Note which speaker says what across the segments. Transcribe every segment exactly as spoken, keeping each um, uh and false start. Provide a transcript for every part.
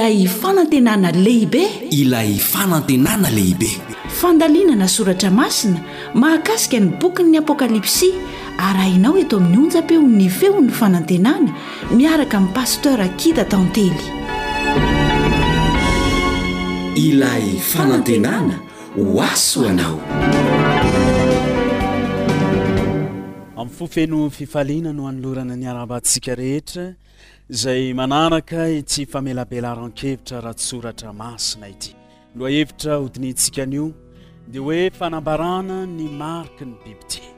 Speaker 1: Ilay fanantenana lehibe.
Speaker 2: Ilay fanantenana lehibe.
Speaker 1: Fandalinana soratra masina mahakasika ny bokin'ny Apokalypsy, arahinao eto amin'ny onjam-peon'ny Feon'ny Fanantenana miaraka amin'ny Pasteur Akida Tantely.
Speaker 2: Ilay fanantenana ho aso anao.
Speaker 3: Amin'ny fo feno fifaliana no anolorana ny arahabantsika rehetra izay manaraka ity famelabelaran-kevitra ara-tsoratra masina ity. Lohahevitra hodinihintsika anio dia hoe fanambarana ny mariky ny bibidia.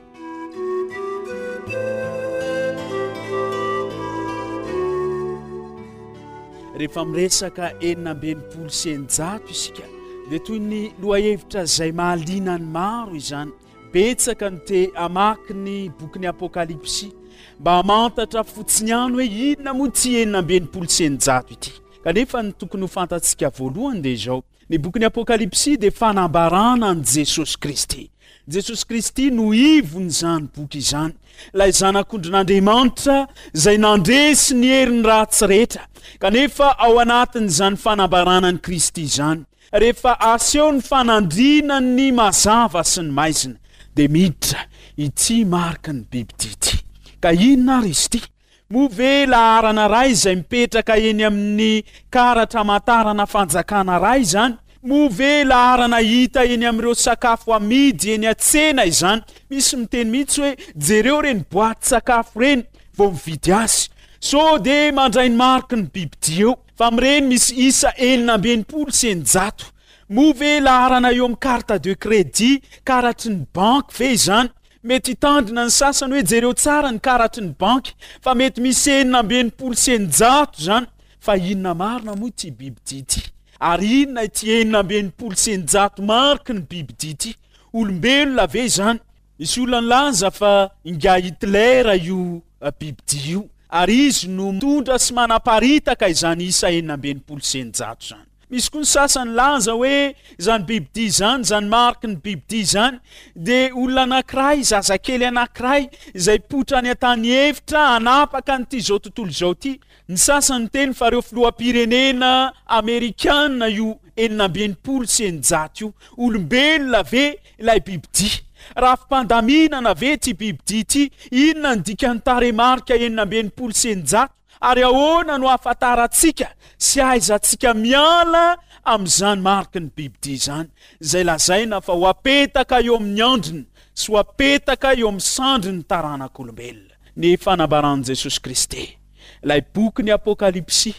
Speaker 3: Rehefa miresaka enina amby enimpolo sy eninjato isika dia toy ny lohahevitra izay mahaliana ny maro izany. Betsaka no te hamaky ny bokin'ny Apokalypsy mba hamantatra fotsiny ihany hoe inona moa ity enina amby enimpolo sy eninjato ity. Kanefa ny tokony ho fantatsika voalohany dia izao: ny bokin'ny Apokalypsy dia fanambarana an'i Jesosy Kristy. Jesosy Kristy no ivon'izany boky izany, ilay Zanak'ondrin'Andriamanitra izay nandresy ny herin'ny ratsy rehetra. Kanefa ao anatin'izany fanambarana an'i Kristy izany, rehefa aseho ny fanandriana ny mazava sy ny maizina, dia miditra ity mariky ny bibidia ity. Ka inona ary izy ity? Moa ve laharana iray izay mipetraka eny amin'ny karatra amantarana fanjakana iray izany? Moa ve laharana hita eny amin'ireo sakafo amidy eny an-tsena izany? Misy miteny mihitsy hoe jereo ireny boatin-tsakafo ireny vao mividy azy. Sao dia mandray ny mariky ny bibidia eo. Fa amin'ireny misy isa enina amby enimpolo sy eninjato. Moa ve laharana eo amin'ny carte de crédit, karatry ny banky ve izany? Mety hitandrina ny sasany hoe jereo tsara ny karatry ny banky fa mety misy enina amby enimpolo sy eninjato izany. Fa inona marina moa ity bibidia ity? Ary inona ity enina amby enimpolo sy eninjato mariky ny bibidia ity? Olombelona ve izany? Misy olona nilaza fa ingahy Hitler io bibidia io ary izy no mitondra sy manaparitaka izany isa enina amby enimpolo sy eninjato izany. Misy koa ny sasany nilaza hoe izany bibidia izany, izany mariky ny bibidia izany dia olona anankiray, zazakely anankiray izay hipoitra any an-tany efitra hanapaka an'ity izao tontolo izao ity. Ny sasany niteny fa ireo filoham-pirenena amerikana io enina amby enimpolo sy eninjato io. Olombelona ve ilay bibidia? Rafi-pandaminana ve ity bibidia ity? Inona ny dikan'ny tarehimarika enina amby enimpolo sy eninjato? Ary ahoana no ahafantarantsika sy ahaizantsika miala amin'izany mariky ny bibidia izany, izay lazaina fa ho apetaka eo amin'ny andriny sy ho apetaka eo amin'ny sandrin'ny taranak'olombelona? Ny fanambaran'i Jesosy Kristy, ilay bokin'ny Apokalypsy,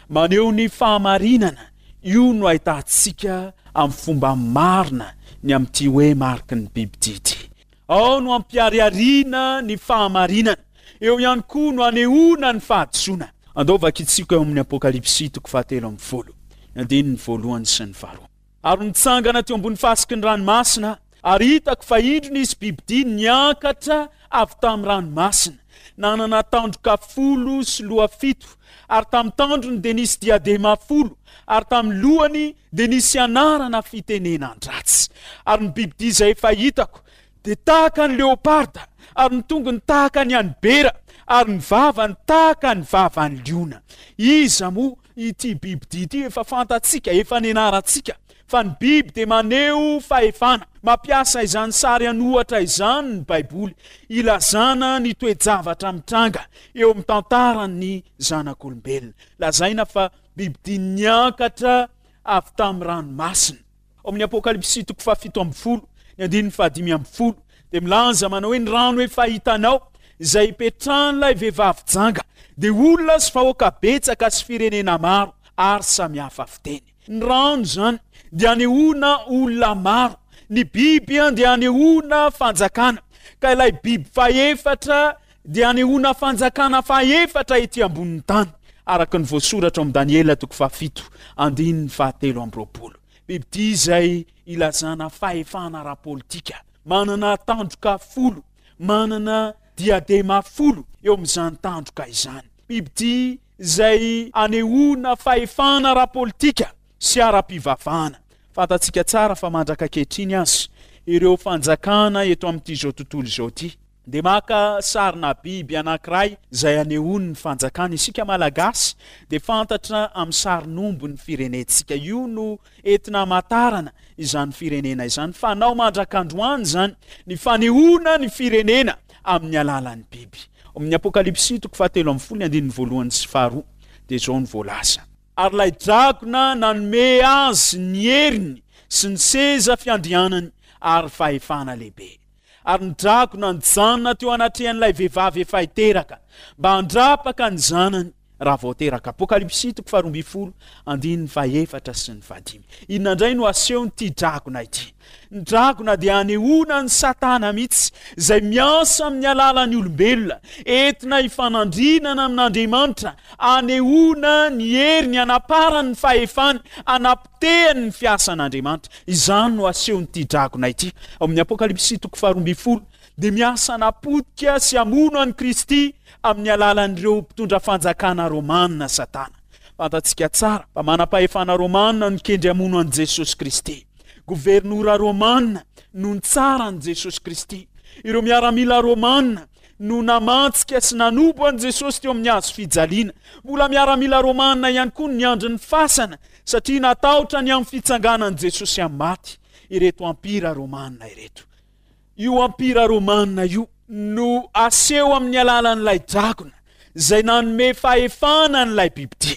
Speaker 3: maneho ny fahamarinana, io no ahitantsika amin'ny fomba marina ny amin'ity hoe mariky ny bibidia ity. Ao no ampiharihariana ny fahamarinana, eo ihany koa no anehoana ny fahadisoana. Andao vakintsika eo amin'ny Apokalypsy toko fahatelo ambin'ny folo, ny andininy voalohany sy ny faharoa. Ary nitsangana teo ambony fasiky ny ranomasina aho, ary hitako fa indro nisy bibidia niakatra avy tamin'ny ranomasina, nanana tandroka folo sy loha fito, ary tamin'ny tandrony dia nisy diadema folo, ary tamin'ny lohany dia nisy anarana fitenenan-dratsy. Ary ny bibidia izay efa hitako dia tahaka ny leoparda, ary ny tongony tahaka ny an'ny bera, ary ny vavany tahaka ny vavan'ny liona. Iza moa ity bibidia ity? Efa fantatsika, efa nianarantsika fa ny biby dia maneho fahefana. Mampiasa izany sary an'ohatra izany ny Baiboly ilazana ny toe-javatra mitranga eo amin'ny tantaran'ny zanak'olombelona. Lazaina fa bibidia niakatra avy tamin'ny ranomasina. Ao amin'ny Apokalypsy toko fahafito ambin'ny folo, ny andininy fahadimy ambin'ny folo, dia milaza manao hoe ny rano efa hitanao, izay ipetrahan'ilay vehivavy janga, dia olona sy vahoaka betsaka sy firenena maro ary samihafa fiteny. Ny rano izany dia anehoana olona maro, ny biby dia anehoana fanjakana, ka ilay biby fahefatra dia anehoana fanjakana fahefatra ety ambonin'ny tany, araka ny voasoratra ao amin'ny Daniela toko fahafito andininy fahatelo amby roapolo. Bibidia izay ilazana fahefana ara-politika, manana tandroka folo, manana diadema folo eo amin'izany tandroka izany. Bibidia izay anehoana fahefana ara-politika sy ara-pivavahana. Fantatsika tsara fa mandraka ankehitriny aza ireo fanjakana eto amin'ity izao tontolo izao ity Dia maka sarina biby anankiray izay anehoany ny fanjakana. Isika Malagasy dia fantatra amin'ny sarin'omby ny firenentsika. Io no entina hamantarana izany firenena izany. Fanao mandrak'androany izany ny fanehoana ny firenena amin'ny alalan'ny biby. Ao amin'ny Apokalypsy toko fahatelo ambin'ny folo ny andininy voalohany sy faharoa dia izao no voalaza. Ary ilay dragona nanome azy ny heriny sy ny seza fiandrianany ary fahefana lehibe. Ary ny dragona nijanona teo anatrehan'ilay vehivavy efa hiteraka, mba handrapaka ny zanany raha vao teraka. Apokalypsy toko faharoa ambin'ny folo, andininy fahefatra sy ny fahadimy. Inona indray no asehon'ity dragona ity? Ny dragona dia anehoana an'i Satana mihitsy, izay miasa amin'ny alalan'ny olombelona, entina hifanandrinana amin'Andriamanitra, anehoana ny heriny, anaparany ny fahefany, anapotehany ny fiasan'Andriamanitra. Izany no asehon'ity dragona ity. Ao amin'ny Apokalypsy toko faharoa ambin'ny folo dia miasa hanapotika sy hamono an'i Kristy amin'ny alalan'ireo mpitondra fanjakana romana Satana. Fantatsika tsara fa manam-pahefana romana no nikendry hamono an'i Jesosy Kristy. Governora romana no nitsara an'i Jesosy Kristy. Ireo miaramila romana no namantsika sy nanompo an'i Jesosy teo amin'ny hazo fijaliana. Mbola miaramila romana ihany koa no niandry ny fasana satria natahotra ny amin'ny fitsanganan'i Jesosy amin'ny maty ireto ampira romana ireto. Io ampira romana io no aseho amin'ny alalan'ilay dragona izay nanome fahefana an'ilay bibidia.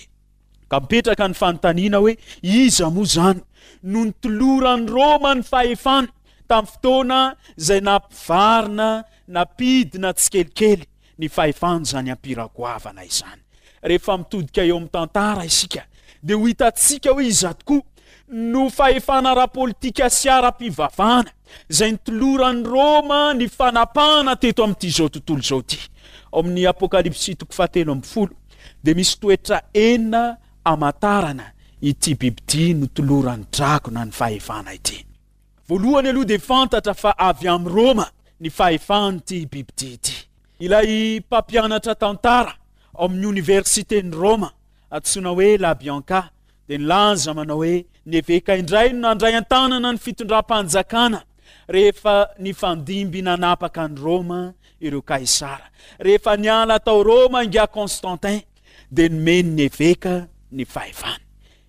Speaker 3: Ka mipetraka ny fanontaniana hoe iza moa izany no nitoloran'i Roma ny fahefana tamin'ny fotoana izay nampivarina, nampidina tsikelikely ny fahefan'izany ampira goavana izany. Rehefa mitodika eo amin'ny tantara isika dia ho hitantsika hoe iza tokoa no fahefana ara-politika sy ara-pivavahana izay nitoloran'i Roma ny fanapahana teto amin'ity izao tontolo izao ity. Ao amin'ny Apokalypsy toko fahatelo ambin'ny folo dia misy toetra enina hamantarana ity bibidia notoloran'ny dragona ny fahefana ity. Voalohany aloha dia fantatra fa avy amin'i Roma ny fahefan'ity bibidia ity. Ilay mpampianatra tantara ao amin'ny oniversiten'i Roma antsoina hoe La Bianca dia nilaza manao hoe ny eveka indray no nandray an-tanana ny fitondram-panjakana rehefa nifandimby nanapaka an'i Roma ireo Kaisara. Rehefa niala tao Roma ingahy Constantin dia nomeny ny eveka ny fahefana.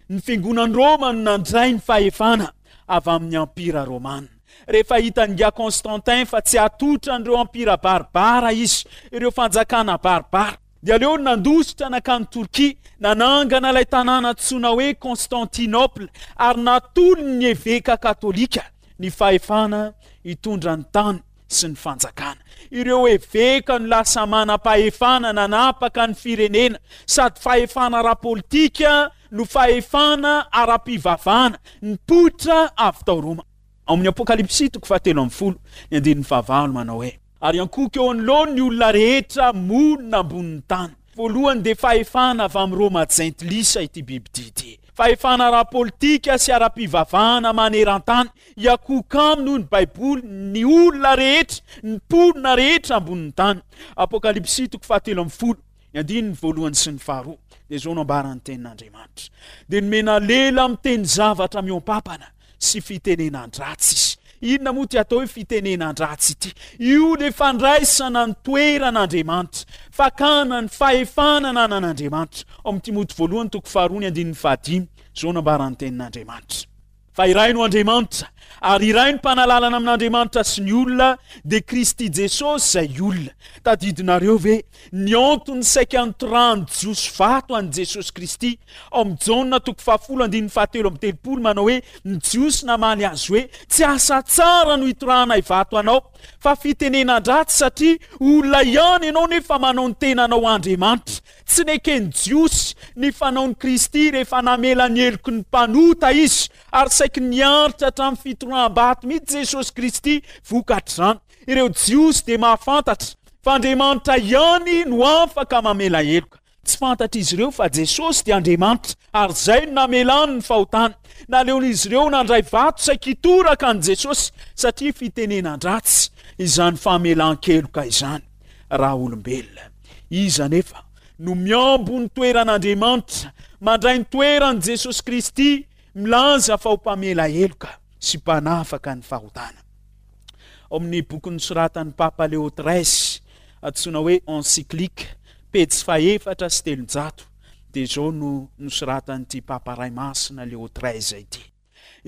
Speaker 3: Ny fiangonan'i Roma no nandray ny fahefana avy amin'ny ampira romana. Rehefa hitan'ingahy Constantin fa tsy hatotra an'ireo ampira baribara izy, ireo fanjakana baribara, dia aleony nandositra nankany Torkia, nanangana ilay tanàna antsoina hoe Constantinople ary natolony ny eveka katolika ny fahefana hitondra ny tany sy ny fanjakana. Ireo eveka no lasa manam-pahefana nanapaka ny firenena, sady fahefana ara-politika no fahefana ara-pivavahana nipoitra avy tao Roma. Ao amin'ny Apokalypsy toko fahatelo ambin'ny folo, ny andininy fahavalo manao hoe, Ary ankohoka eo anoloany ny olona rehetra monina ambonin'ny tany. Voalohany dia fahefana avy amin'i Roma jentilisa ity bibidia ity. Fahefana ara-politika sy ara-pivavahana maneran-tany. Hiankohoka aminy hoy ny Baiboly ny olona rehetra, ny mponina rehetra ambonin'ny tany. Apokalypsy toko fahatelo ambin'ny folo, ny andininy voalohany sy ny faharoa dia izao no ambaran'ny tenin'Andriamanitra. Dia nomena lela miteny zavatra mihoampampana sy fitenenan-dratsy izy. Inona moa ity atao hoe fitenenan-dratsy ity? Io ilay fandraisana ny toeran'Andriamanitra, fakana ny fahefana ananan'Andriamanitra. Ao amin'ny Timoty voalohany toko faharoa ny andininy fahadimy, izao no ambaran'ny tenin'Andriamanitra. Fa iray no Andriamanitra, ary iray ny mpanalalana amin'Andriamanitra sy ny olona, dia Kristy Jesosy izay olona. Tadidinareo ve ny antony saika nitorahan'ny Jiosy vato an'i Jesosy Kristy? Ao amin'ny Jaona toko fahafolo andininy fahatelo amby telopolo manao hoe, Ny Jiosy namaly azy hoe, Tsy asa tsara no itorahanay vato anao, fa fitenenan-dratsy, satria olona ihany ianao nefa manao ny tenanao ho Andriamanitra. Tsy neken'ny Jiosy ny fanaon'i Kristy rehefa namela ny heloky ny mpanota Izy, ary saiky niaritra hatramin'ny fitoraham-bato mihitsy Jesosy Kristy vokatr'izany. Ireo Jiosy dia mahafantatra fa Andriamanitra ihany no afaka mamela heloka. Tsy fantatr'izy ireo fa Jesosy dia Andriamanitra, ary izay no namelany ny fahotany. Naleon'izy ireo nandray vato saiky hitoraka an'i Jesosy, satria fitenenan-dratsy izany famelan-keloka izany. Raha olombelona. Iza anefa no miambo ny toeran'Andriamanitra, mandray ny toeran'i Jesosy Kristy, milaza fa ho mpamela heloka sy mpanafaka ny fahotana? Ao amin'ny boky nosoratan'ny Papa Léo treize, antsoina hoe Encyclique, pejy fahefatra sy telonjato, dia izao no nosoratan'ity Papa Ray Masina Léo treize ity.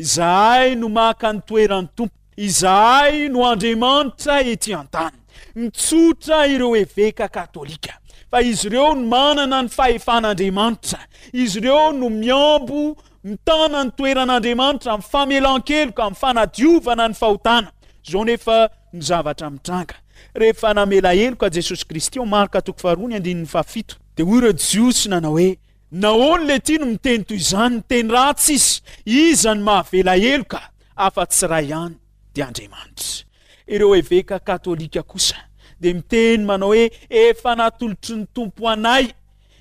Speaker 3: Izahay no maka ny toeran'ny Tompo, izahay no Andriamanitra ety an-tany. Mitsotra ireo eveka katolika fa izy ireo no manana ny fahefan'Andriamanitra, izy ireo no miambo mitana ny toeran'Andriamanitra amin'ny famelan-keloka, amin'ny fanadiovana ny fahotana. Izao nefa ny zavatra mitranga. Rehefa namela heloka Jesosy Kristy ao Marka toko faharoa ny andininy fahafito, dia hoy ireo Jiosy nanao hoe, Nahoana ilay ity no miteny toy izany? Miteny ratsy izy. Iza no mahavela heloka afa-tsy iray ihany, dia Andriamanitra. Ireo eveka katolika kosa dia miteny manao hoe, Efa natolotry ny Tompo anay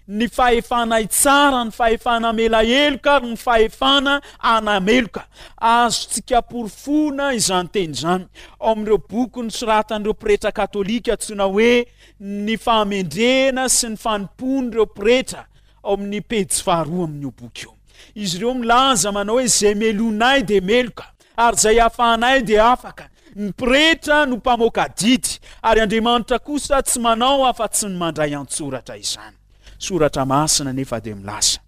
Speaker 3: ny fahefana hitsara, ny fahefana hamela heloka ary ny fahefana hanameloka. Azontsika porofoina izany teny izany ao amin'ireo boky nosoratan'ireo pretra katolika antsoina hoe Ny Fahamendrehana sy ny Fanompoan'ireo Pretra ao amin'ny pejy faharoa amin'io boky io. Izy ireo milaza manao hoe izay melohinay dia meloka ary izay afahanay dia afaka. Ny pretra no mpamoaka didy ary Andriamanitra kosa tsy manao afa-tsy ny mandray an-tsoratra izany. Soratra masina anefa dia milaza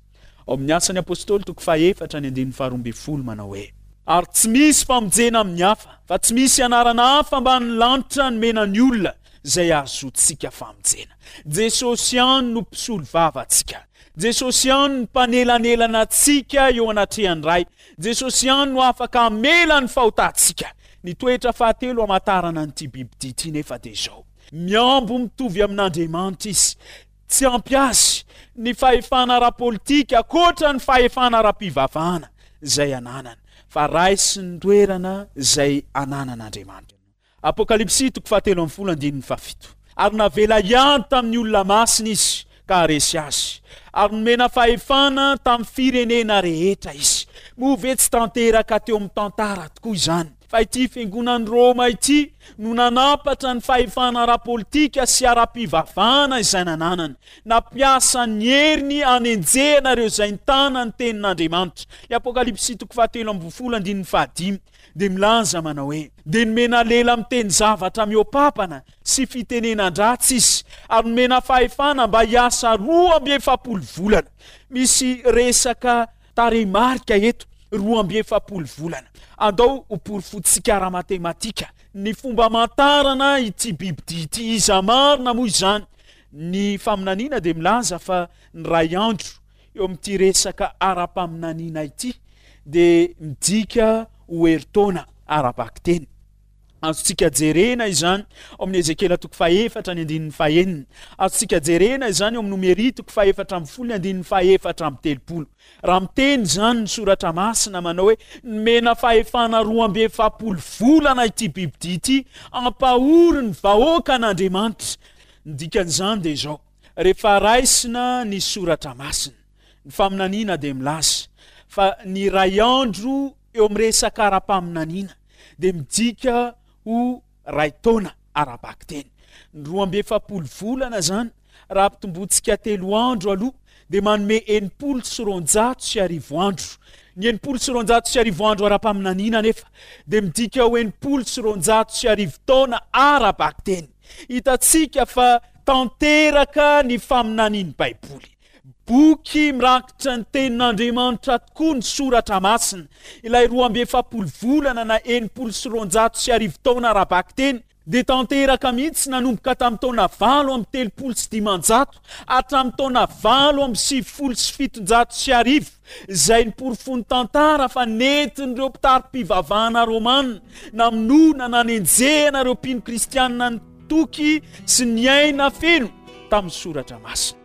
Speaker 3: ao amin'ny Asan'ny Apostoly toko fahefatra ny andininy faharoa ambin'ny folo manao hoe, Ary tsy misy famonjena amin'ny hafa, fa tsy misy anarana hafa ambanin'ny lanitra nomena ny olona izay ahazoantsika famonjena. Jesosy ihany no mpisolo vava antsika. Jesosy ihany no mpanelanelana antsika eo anatrehan'ny Ray. Jesosy ihany no afaka hamela ny fahotantsika. Ny toetra fahatelo hamantarana an'ity bibidia ity nefa dia izao, mihambo mitovy amin'Andriamanitra izy. Tsy ampy azy ny fahefana ara-politika ankoatra ny fahefana ara-pivavahana izay ananany, fa raisiny ny toerana izay ananan'Andriamanitra. Apokalypsy toko fahatelo ambin'ny folo andininy fahafito. Ary navela hiady tamin'ny olona masina izy ka haharesy azy, ary nomena fahefana tamin'ny firenena rehetra izy. Moa ve tsy tanteraka teo amin'ny tantara tokoa izany fa ity fiangonan'i Roma ity no nanampatra ny fahefana ara-politika sy ara-pivavahana izay nananany, nampiasa ny heriny hanenjehana ireo izay nitana ny tenin'Andriamanitra? Ny Apokalypsy toko fahatelo ambin'ny folo andininy fahadimy dia milaza manao hoe, Dia nomena lela miteny zavatra mihoa-papana sy fitenenan-dratsy izy, ary nomena fahefana mba hiasa roa amby efapolo volana. Misy resaka tarehimarika eto, roa amby efapolo volana. Andao ho porofointsika ara-matematika ny fomba amantarana ity bibidia ity. Iza marina moa izany? Ny faminaniana dia milaza fa ny iray andro eo amin'ity resaka ara-paminaniana ity dia midika ho herintaona ara-bakiteny. Azontsika jerena izany ao amin'ny Ezekiela toko fahefatra ny andininy fahenina. Azontsika jerena izany ao amin'ny Nomery toko fahefatra ambin'ny folo ny andininy fahefatra amby telopolo. Raha miteny izany ny soratra masina manao hoe nomena fahefana roa amby efapolo volana ity bibidia ity hampahory ny vahoakan'Andriamanitra. Ny dikan'izany dia izao, rehefa raisina ny soratra masina, ny faminaniana dia milaza fa ny iray andro eo amin'ny resaka ara-paminaniana dia midika ho iray taona ara-bakiteny. Ny roa amby efapolo volana izany, raha ampitombointsika telo andro aloha, dia manome enimpolo sy roanjato sy arivo andro. Ny enimpolo sy roanjato sy arivo andro ara-paminaniana anefa dia midika ho enimpolo sy roanjato sy arivo taona ara-bakiteny. Hitantsika fa tanteraka ny faminanian'ny Baiboly. Boky mirakitra ny Tenin'Andriamanitra tokoa ny Soratra Masina. Ilay roa amby efapolo volana na enimpolo sy roanjato sy arivo taona ara-bakiteny dia tanteraka mihitsy nanomboka tamin'ny taona valo amby telopolo sy dimanjato hatramin'ny taona valo amby sivifolo sy fitonjato sy arivo, izay niporofoin'ny tantara fa nentin'ireo mpitari-pivavahana romana namonoana nanenjehana ireo mpino kristianina nitoky sy niaina feno tamin'ny Soratra Masina.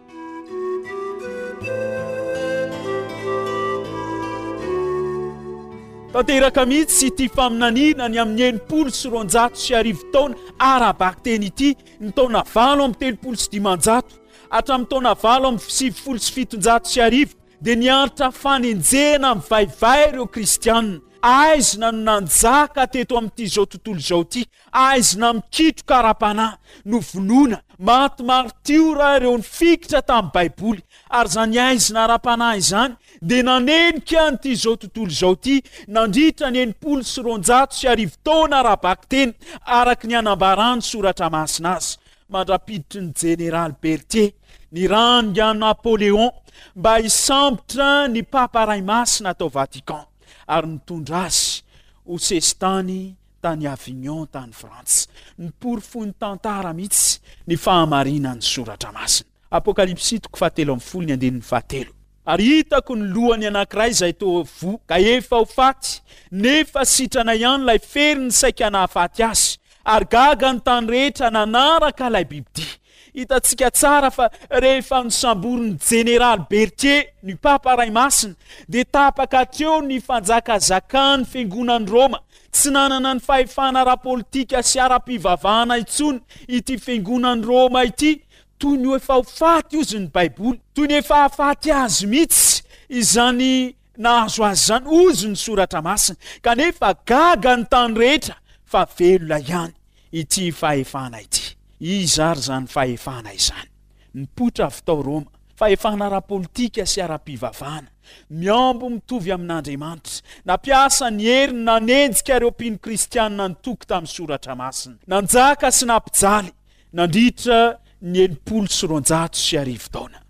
Speaker 3: Tanteraka mihitsy ity faminaniana ny amin'ny enimpolo sy roanjato sy arivo taona ara-bakiteny ity ny taona valo amby telopolo sy dimanjato hatramin'ny taona valo amby sivifolo sy fitonjato sy arivo dia niaritra fanenjehana mivaivay ireo kristianina. Aizina no nanjaka teto amin'ity izao tontolo izao ity. Aizina mikitroka ara-panahy, novonoina, maty maritiora ireo nifikitra tamin'ny Baiboly, ary izany aizina ara-panahy izany dia nanenika an'ity izao tontolo izao ity nandritra ny enimpolo sy roanjato sy arivo taona ara-bakiteny araka ny anambaran'ny Soratra Masina azy, mandra-piditry ny Jeneraly Berthier nirahan'i Napoléon mba hisambotra ny Papa Ray Masina tao Vatican ary nitondra azy ho sesitany tany Avignon tany Frantsa. Niporofoin'ny tantara mihitsy ny fahamarinan'ny Soratra Masina. Apokalypsy toko fahatelo ambin'ny folo ny andininy fahatelo. Ary hitako ny lohany anankiray izay toa voa ka efa ho faty, nefa sitrana ihany ilay feriny saika nahafaty azy, ary gaga ny tany rehetra nanaraka ilay bibidia. Hitantsika tsara fa rehefa nosamborin'ny Jeneraly Berthier ny Papa Ray Masina, dia tapaka hatreo ny fanjakazakan'ny Fiangonan'i Roma. Tsy nanana ny fahefana ara-politika sy ara-pivavahana intsony ity Fiangonan'i Roma ity. Toy ny efa ho faty ozy ny Baiboly, toy ny efa hahafaty azy mihitsy izany nahazo azy izany ozy ny Soratra Masina, kanefa gaga ny tany rehetra fa velona ihany ity fahefana ity. Iza ary izany fahefana izany? Nipoitra avy tao Roma, fahefana ara-politika sy ara-pivavahana, mihambo mitovy amin'Andriamanitra, nampiasa ny heriny nanenjika ireo mpino kristianina nitoky tamin'ny Soratra Masina, nanjaka sy nampijaly nandritra ny enimpolo sy roanjato sy arivo taona.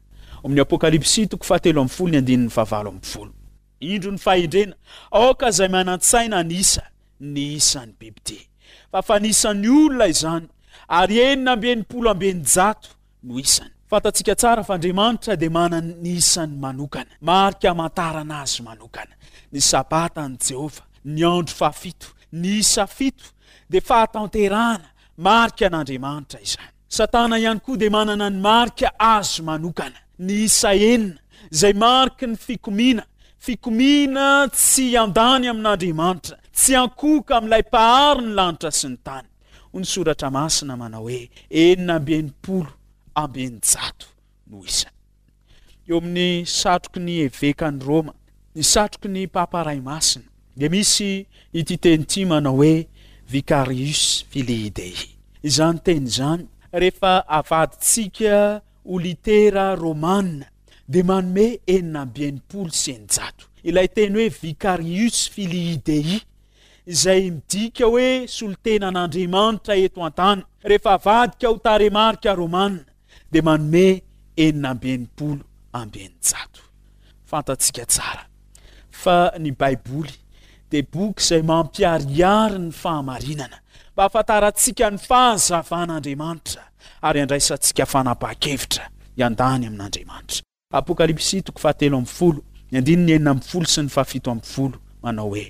Speaker 3: Ao amin'ny Apokalypsy toko fahatelo ambin'ny folo ny andininy fahavalo ambin'ny folo. Indro ny fahendrena, aoka izay manan-tsaina hanisa ny isan'ny bibidia. Fa fanisan'ny olona izany, ary enina amby enimpolo amby eninjato no isany. Fantatsika tsara fa Andriamanitra dia manana ny isany manokana, marika hamantarana azy manokana. Ny Sabatan'i Jehovah, ny andro fahafito, ny isa fito dia fahatanterahana, marika an'Andriamanitra izany. Satana ihany koa dia manana ny marika azy manokana, ny isa enina, izay mariky ny fikomiana, fikomiana tsy hiandany amin'Andriamanitra, tsy hiankohoka amin'ilay Mpahary ny lanitra sy ny tany. Hoy ny Soratra Masina manao hoe, enina amby enimpolo amby eninjato no isany. Eo amin'ny satroky ny evekan'i Roma, ny satroky ny Papa Ray Masina, dia misy ity teny ity manao hoe Vicarius Filii Dei. Izany teny izany, rehefa avadintsika ho litera romana, dia manome enina amby enimpolo sy eninjato. Ilay teny hoe Vicarius Filii Dei, izay midika hoe solontenan'Andriamanitra eto an-tany, rehefa avadika ho tarehimarika romana, dia manome enina amby enimpolo amby eninjato. Fantatsika tsara fa ny Baiboly dia boky izay mampiharihary ny fahamarinana, mba hahafantarantsika ny fahazavan'Andriamanitra ary handraisantsika fanapahan-kevitra hiandany amin'Andriamanitra. Apokalypsy toko fahatelo ambin'ny folo, ny andininy enina ambin'ny folo sy ny fahafito ambin'ny folo manao hoe: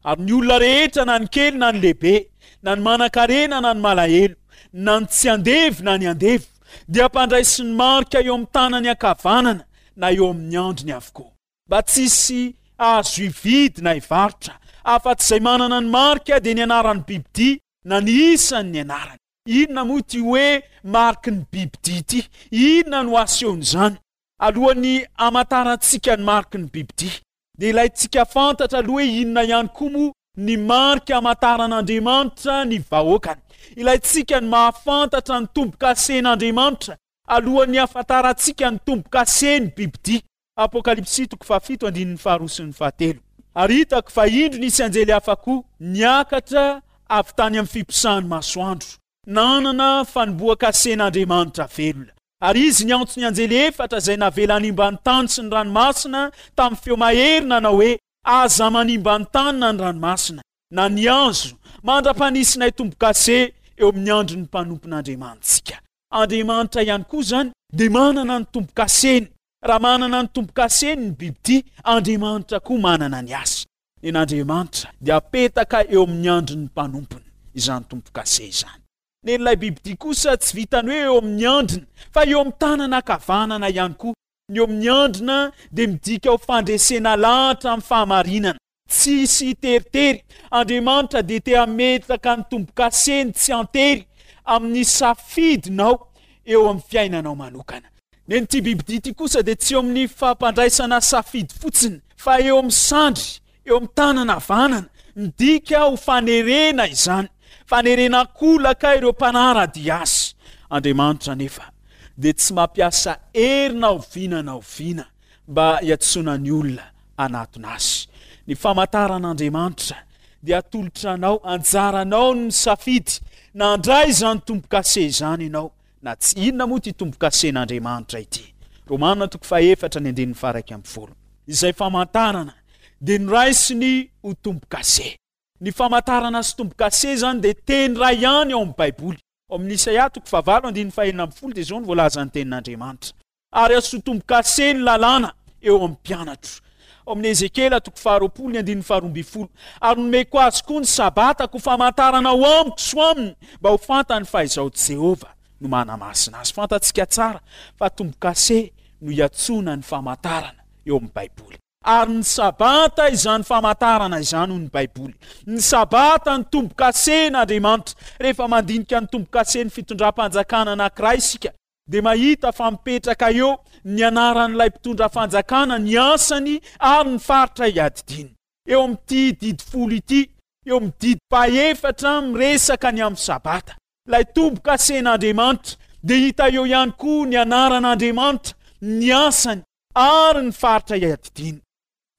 Speaker 3: Ary ny olona rehetra, na ny kely na ny lehibe, na ny manan-karena na ny malahelo, na ny tsy andevo na ny andevo, dia hampandraisy ny marika eo amin'ny tanany ankavanana na eo amin'ny andriny avokoa, mba tsy hisy azo hividy na hivarotra, afa-tsy izay manana ny marika, dia ny anaran'ny bibidia na ny isan'ny anarany. Inona moa ity hoe mariky ny bibidia ity? Inona no asehon'izany? Alohan'ny hamantarantsika ny mariky ny bibidia, dia ilaintsika fantatra aloha hoe inona ihany koa moa ny marika hamantaran'Andriamanitra ny vahoakany. Ilaintsika ny mahafantatra ny tombo-kasen'Andriamanitra alohan'ny hahafantarantsika ny tombo-kasen'ny bibidia. Apokalypsy toko fahafito andininy faharoa sy ny fahatelo. Ary hitako fa indro nisy anjely hafa koa niakatra avy tany amin'ny fiposahan'ny masoandro, nanana fanombohan-kasen'Andriamanitra velona. Ary izy niantso ny anjely efatra izay navela hanimba ny tany sy ny ranomasina tamin'ny feo mahery nanao hoe, Aza manimba ny tany na ny ranomasina, na ny hazo, mandra-panisinay tombo-kase eo amin'ny andron'ny mpanompon'Andriamanitsika. Andriamanitra ihany koa izany dia manana ny tombo-kaseny. Raha manana ny tombo-kaseny ny bibidia, Andriamanitra koa manana ny azy. Nen'Andriamanitra dia apetaka eo amin'ny andron'ny mpanompony izany tombo-kase izany. Nen'ilay bibidia kosa tsy vitany hoe eo amin'ny andriny, fa eo amin'ny tanana ankavanana ihany koa. Ny eo amin'ny andrina dia midika ho fandresena lahatra amin'ny fahamarinana. Tsy hisy hiteritery. Andriamanitra dia te hametraka ny tombo-kaseny tsy an-tery amin'ny safidinao eo amin'ny fiainanao manokana. Nen'ity bibidia ity kosa dia tsy eo amin'ny fampandraisana safidy fotsiny, fa eo amin'ny sandry, eo amin'ny tanana havanana. Midika ho fanerena izany, fanerena an-kolaka ireo mpanara-dia azy. Andriamanitra anefa dia tsy mampiasa hery na oviana na oviana mba hiantsoana ny olona hanatona Azy. Ny famantaran'Andriamanitra dia atolotra anao, anjaranao ny misafidy na handray izany tombo-kase izany ianao na tsy. Inona moa ity tombo-kasen'Andriamanitra ity? Romana toko fahefatra ny andininy faha-iraika ambin'ny folo. Izay famantarana dia noraisiny ho tombo-kase. Ny famantarana sy tombo-kase izany dia teny iray ihany ao amin'ny Baiboly. Ao amin'ny Isaia toko fahavalo andininy fahenina ambin'ny folo dia izao no voalazan'ny tenin'Andriamanitra. Ary azo tombo-kase ny lalàna eo amin'ny mpianatro. Ao amin'ny Ezekiela toko faharoapolo ny andininy faharoa ambin'ny folo. Ary nomeko azy koa ny Sabatako ho famantarana ho amiko sy ho aminy, mba ho fantany fa Izaho Jehovah no manamasina azy. Fantatsika tsara fa tombo-kase no iantsoana ny famantarana eo amin'ny Baiboly. Ary ny Sabata izany famantarana izany, hoy ny Baiboly. Ny Sabata no tombo-kasen'Andriamanitra. Rehefa mandinika ny tombo-kasen'ny fitondram-panjakana anankiray isika, dia mahita fa mipetraka eo ny anaran'ilay mpitondra fanjakana, ny asany ary ny faritra iadidiany. Eo amin'ity didy folo ity, eo amin'ny didy fahefatra miresaka ny amin'ny Sabata, ilay tombo-kasen'Andriamanitra, dia hita eo ihany koa ny anaran'Andriamanitra, ny asany ary ny faritra iadidiany.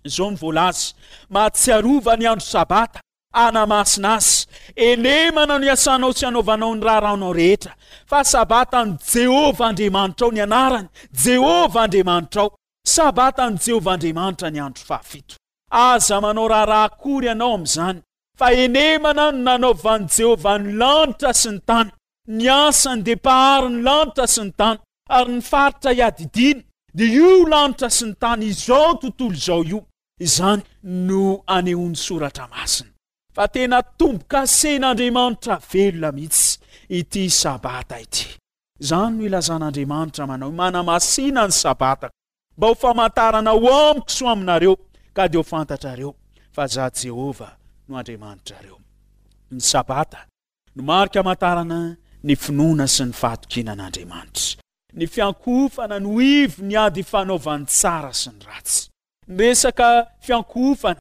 Speaker 3: Izao no voalaza, Mahatsiarova ny andro Sabata, hanamasina azy. Elemana no iasanao sy anaovanao ny raharahanao rehetra, fa Sabatan'i Jehovah Andriamanitrao ny anarany, Jehovah Andriamanitrao. Sabatan'i Jehovah Andriamanitra ny andro fahafito. Aza manao raharaha akory ianao amin'izany, fa elemana no nanaovan'i Jehovah ny lanitra sy ny tany. Ny asany dia mpahary ny lanitra sy ny tany, ary ny faritra iadidiany dia io lanitra sy ny tany izao tontolo izao io. Izany no anehoan'ny Soratra Masina fa tena tombo-kasen'Andriamanitra velona mihitsy ity Sabata ity. Izany no ilazan'Andriamanitra manao hoe, Manamasina ny Sabatako mba ho famantarana ho amiko sy ho aminareo, ka dia ho fantatrareo fa Izaho Jehovah no Andriamanitrareo. Ny Sabata no marika amantarana ny finoana sy ny fahatokiana an'Andriamanitra. Ny fiankohofana no ivon'ny ady ifanaovan'ny tsara sy ny ratsy. Ny resaka fiankohofana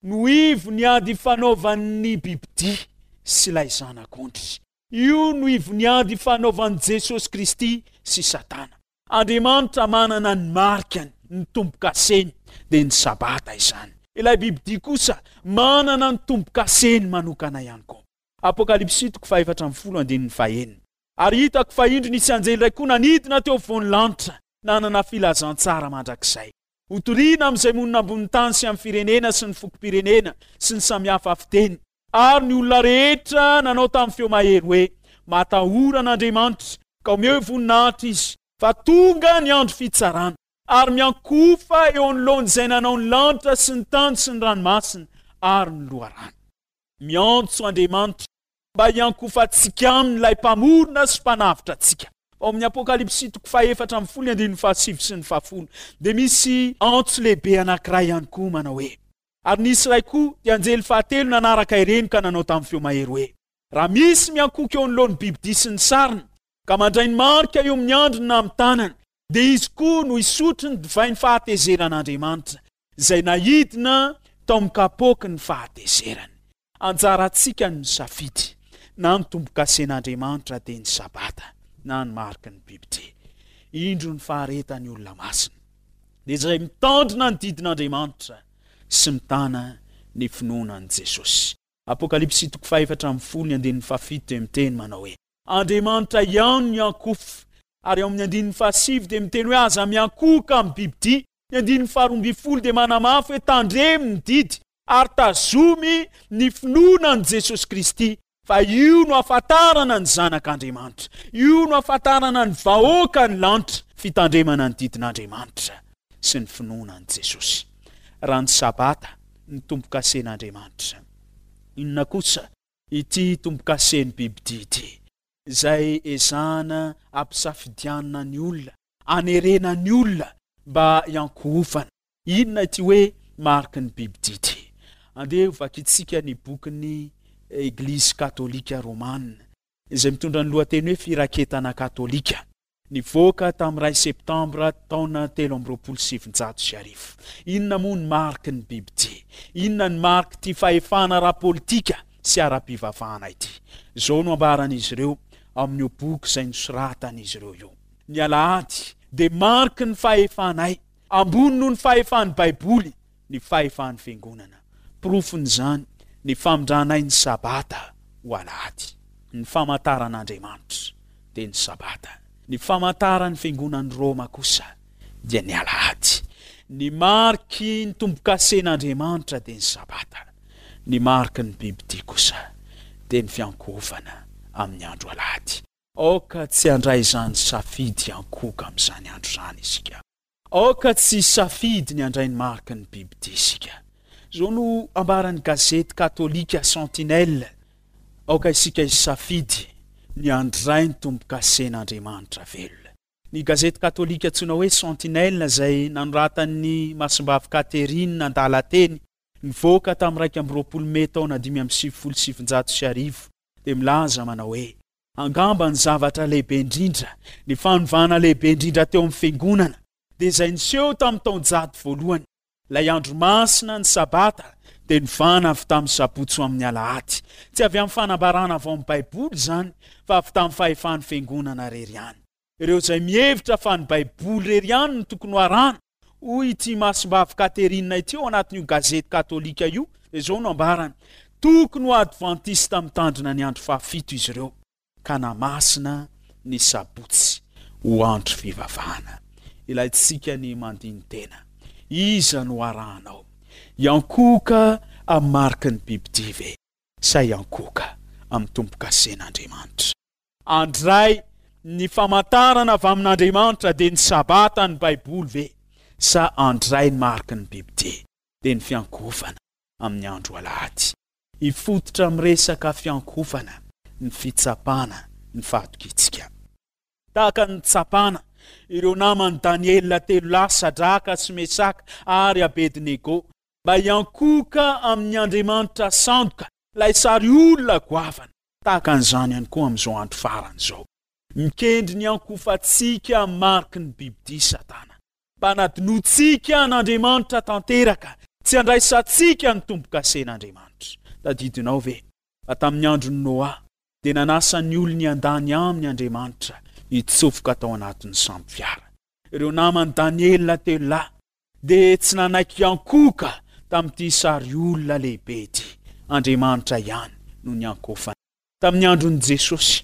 Speaker 3: no ivon'ny ady ifanaovan'ny bibidia sy ilay zanak'ondry. Io no ivon'ny ady ifanaovan'i Jesosy Kristy sy Satana. Andriamanitra manana ny marikany, ny tombo-kaseny, dia ny Sabata izany. Ilay bibidia kosa manana ny tombo-kaseny manokana ihany koa. Apokalypsy toko fahefatra ambin'ny folo andininy fahenina. Ary hitako fa indro nisy anjely iray koa nanidina teo afovoan'ny lanitra, nanana filazantsara mandrakizay. Hotorina amin'izay monina ambonin'ny tany sy amin'ny firenena sy ny fokom-pirenena sy ny samihafa fiteny, ary ny olona rehetra nanao tamin'ny feo mahery hoe, Matahora an'Andriamanitra, ka omeo voninahitra Izy, fa tonga ny andro fitsarana, ary miankohofa eo anoloan'izay nanao ny lanitra sy ny tany sy ny ranomasina ary ny loharano. Miantso Andriamanitra mba hiankohofantsika aminy ilay Mpamorona sy Mpanavotra antsika. Ao amin'ny Apokalypsy toko fahefatra ambin'ny folo ny andininy fahasivy sy ny fahafolo dia misy antso lehibe anankiray ihany koa manao hoe, Ary nisy iray koa, dia anjely fahatelo nanaraka ireny ka nanao tamin'ny feo mahery hoe, Raha misy miankohoka eo anoloan'ny bibidia sy ny sariny, ka mandray ny marika eo amin'ny andriny na amin'ny tanany, dia izy koa no hisotro ny divain'ny fahatezeran'Andriamanitra, izay naidina tao amin'ny kapoaky ny fahatezerany. Anjarantsika ny misafidy na ny tombo-kasen'Andriamanitra dia ny Sabata na ny mariky ny bibidia. Indro ny faharetan'ny olona masina, dia izay mitandrina ny didin'Andriamanitra sy mitana ny finoana an'i Jesosy. Apokalypsy toko fahefatra ambin'ny folo ny andininy fahafito dia miteny manao hoe, Andriamanitra ihany no miankohofa. Ary ao amin'ny andininy fahasivy dia miteny hoe aza miankohoka amin'ny bibidia. Ny andininy faharoa ambin'ny folo dia manamafy hoe tandremo ny didy ary tazomy ny finoana an'i Jesosy Kristy, fa io no ahafantarana ny zanak'Andriamanitra. Io no ahafantarana ny vahoaka ny lanitra, fitandremana ny didin'Andriamanitra sy ny finoana an'i Jesosy. Raha ny Sabata no tombo-kasen'Andriamanitra, inona kosa ity tombo-kasen'ny bibidia ity, izay ezahana ampisafidianina ny olona, anerena ny olona mba hiankohofana? Inona ity hoe mariky ny bibidia ity? Andeha hovakintsika ny bokin'ny Eglizy Katolika Romana, izay mitondra ny lohateny hoe Firaketana Katolika, nivoaka tamin'ny iray Septambra taona telo amby roapolo sy sivinjato sy arivo. Inona moa ny mariky ny bibidia? Inona ny marik'ity fahefana ara-politika sy ara-pivavahana ity? Izao no ambaran'izy ireo ao amin'io boky izay nosoratan'izy ireo io, Ny alahady dia mariky ny fahefanay. Ambony noho ny fahefan'ny Baiboly ny fahefan'ny Fiangonana. Porofon'izany ny famindranay ny Sabata ho Alahady. Ny famantaran'Andriamanitra dia ny Sabata. Ny famantaran'ny Fiangonan'i Roma kosa dia ny Alahady. Ny mariky ny tombokasen'Andriamanitra dia ny Sabata. Ny mariky ny bibidia kosa dia ny fiankohofana amin'ny andro Alahady. Aoka tsy handray izany safidy hiankohoka amin'izany andro izany isika. Aoka tsy hisafidy ny handray ny mariky ny bibidia isika. Izao no ambaran'ny gazety katolika Sentinelle, Aoka isika hisafidy ny handray ny tombokasen'Andriamanitra velona. Ny gazety katolika antsoina hoe Sentinelle izay nanoratan'ny Masimbavy Catherine andalan-teny nivoaka tamin'ny iraika amby roapolo mey taona dimy amby sivifolo sy sivinjato sy arivo dia milaza manao hoe, Angamba ny zavatra lehibe indrindra, ny fanovana lehibe indrindra teo amin'ny Fiangonana dia izay niseho tamin'ny taonjato voalohany. Ilay andro masina, ny Sabata, dia novana avy tamin'ny Sabotsy ho amin'ny Alahady. Tsy avy amin'ny fanambarana avy ao amin'ny Baiboly izany, fa avy tamin'ny fahefan'ny Fiangonana irery ihany. Ireo izay mihevitra fa ny Baiboly irery ihany no tokony ho arahana, hoy ity Masimbavy Catherine ity ao anatin'io gazety katolika io, dia izao no ambarany, Tokony ho Advantista mitandrina ny andro fahafito izy ireo, ka namasina ny Sabotsy ho andro fivavahana. Ilaintsika ny mandini-tena. Iza no arahanao? Hiankohoka amin'ny mariky ny bibidia ve sa hiankohoka amin'ny tombo-kasen'Andriamanitra? Handray ny famantarana avy amin'Andriamanitra dia ny Sabata ny Baiboly ve sa handray ny mariky ny bibidia dia ny fiankohofana amin'ny andro alahady? Hifototra amin'ny resaka fiankohofana ny fitsapana ny fahatokiantsika. Tahaka ny nitsapana ireo naman'i Daniela telo lahy, Sadraka sy Mesaka ary Abednego, mba hiankohoka amin'ny andriamanitra sandoka, ilay sary olona goavana. Tahaka an'izany ihany koa amin'izao andro farany izao. Mikendry ny hiankohofantsika amin'ny mariky ny bibidia Satana, mba hanadinoantsika an'Andriamanitra tanteraka, tsy handraisantsika ny tombo-kasen'Andriamanitra. Tadidinao ve fa tamin'ny andron'i Noa, dia nanasa ny olony handany aminy Andriamanitra hitsofoka tao anatin'ny sambo fiara. Ireo naman'i Daniela telo lahy dia tsy nanaiky hiankohoka tamin'ity sary olona lehibe ity. Andriamanitra ihany no niankohofany. Tamin'ny andron'i Jesosy,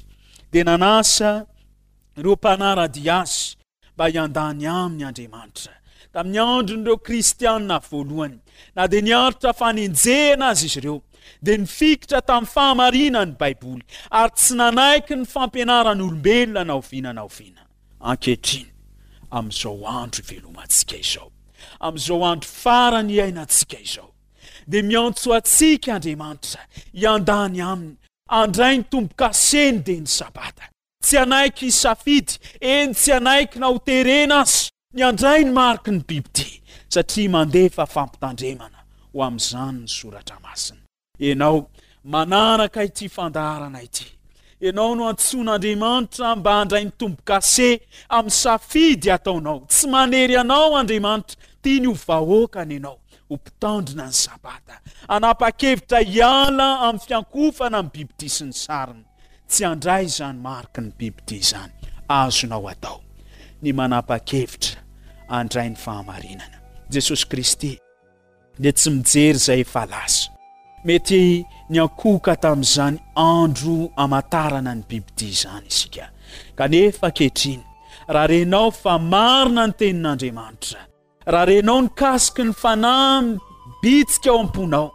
Speaker 3: dia nanasa ireo mpanara-dia azy mba hiandany aminy Andriamanitra. Tamin'ny andron'ireo Kristianina voalohany, na dia niaritra fanenjehana aza izy ireo, dia nifikitra tamin'ny fahamarinan'ny Baiboly ary tsy nanaiky ny fampianaran'olombelona na oviana na oviana. Ankehitriny, amin'izao andro ivelomantsika izao, amin'izao andro farany iainantsika izao, dia miantso antsika Andriamanitra hiandany aminy, handray ny tombo-kaseny dia ny Sabata. Tsy hanaiky hisafidy, eny tsy hanaiky na ho terena aza, ny handray ny mariky ny bibidia, satria mandefa fampitandremana ho amin'izany ny Soratra Masina. Ianao manaraka ity fandaharana ity. Ianao no antsoin'Andriamanitra mba handray ny tombo-kase amin'ny safidy ataonao. Tsy manery anao Andriamanitra, tiany ho vahoakany ianao, ho mpitandrina ny Sabata. Hanapa-kevitra hiala amin'ny fiankohofana amin'ny bibidia sy ny sariny. Tsy handray izany mariky ny bibidia izany. Azonao atao ny manapa-kevitra handray ny fahamarinana. Jesosy Kristy dia tsy mijery izay efa lasa. Mety niankohoka tamin'izany andro hamantarana ny bibidia izany isika. Kanefa ankehitriny, raha renao fa marina ny tenin'Andriamanitra, raha renao ny kasiky ny Fanahy mibitsika ao am-ponao,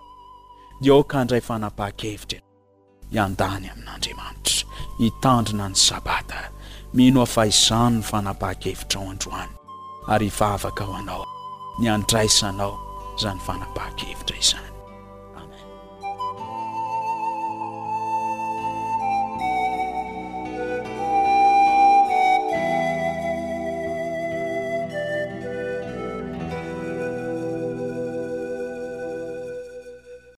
Speaker 3: dia aoka handray fanapahan-kevitra ianao. Hiandany amin'Andriamanitra, hitandrina ny Sabata. Mino aho fa izany no fanapahan-kevitrao androany, ary hivavaka ho anao ny handraisanao izany fanapahan-kevitra izany.